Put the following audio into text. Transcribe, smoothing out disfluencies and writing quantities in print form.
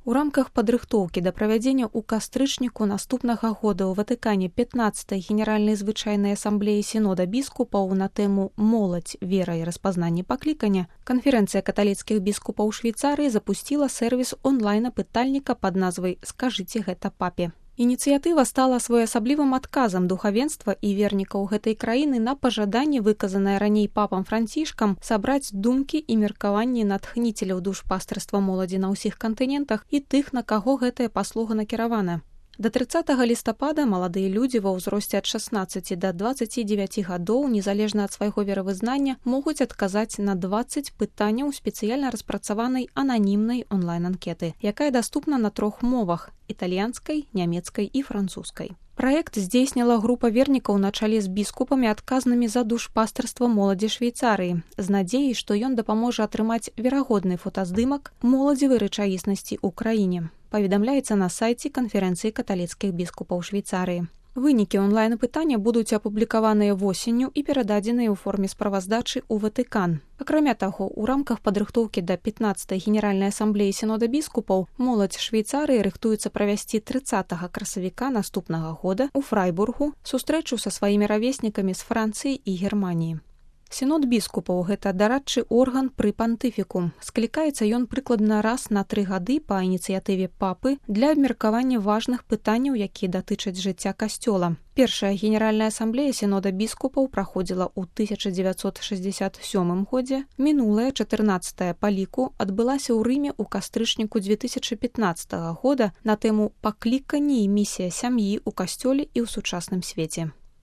У рамках падрыхтоўкі да правядзення ў кастрычніку наступнага года ў Ватыкане 15-й генеральнай звычайнай асамблеі сінода біскупаў на тэму «Моладзь, вера і распазнанне паклікання» канферэнцыя каталіцкіх біскупаў Швейцарыі запусціла сервіс онлайн-апытальніка пад назвай «Скажыце гэта папе». Ініцыятыва стала своеасаблівым адказам духавенства і вернікаў гэтай краіны на пажаданне, выказанае раней папам Францішкам, сабраць думкі і меркаванні натхніцеляў душпастарства моладзі на ўсіх кантынентах і тых, на каго гэтая паслуга накіравана. Да 30 лістапада маладыя людзі ва ўзросце ад 16 да 29 гадоў, незалежна ад свайго веравызнання, могуць адказаць на 20 пытанняў спецыяльна распрацаванай ананімнай онлайн-анкеты, якая даступна на 3 мовах – італьянскай, нямецкай і французскай. Праект здзейсніла група вернікаў на чале з біскупамі, адказнымі за душпастарства моладзі Швейцарыі, з надзеяй, што ён дапаможа атрымаць верагодны фотаздымак моладзевай рэчаіснасці ў краіне. Паведамляецца на сайце канферэнцыі каталіцкіх біскупаў Швейцарыі. Вынікі онлайн-апытання будуць апублікаваныя восенню і перададзеныя ў форме справаздачы ў Ватыкан. Акрамя таго, у рамках падрыхтоўкі да 15-й генеральнай асамблеі сінода біскупаў моладзь Швейцарыі рыхтуецца правесці 30 красавіка наступнага года ў Фрайбургу сустрэчу са сваімі равеснікамі з Францыі і Германіі. Сінод біскупаў – гэта дарадчы орган пры пантыфіку. Склікаецца ён прыкладна раз на 3 гады па ініцыятыве папы для абмеркавання важных пытанняў, якія датычаць жыцця касцёла. Першая генеральная асамблея сінода біскупаў праходзіла ў 1967 годзе. Мінулая, 14-я па ліку, адбылася ў Рыме ў кастрычніку 2015 года на тэму «Пакліканне і місія сям'і ў касцёле і ў сучасным свеце».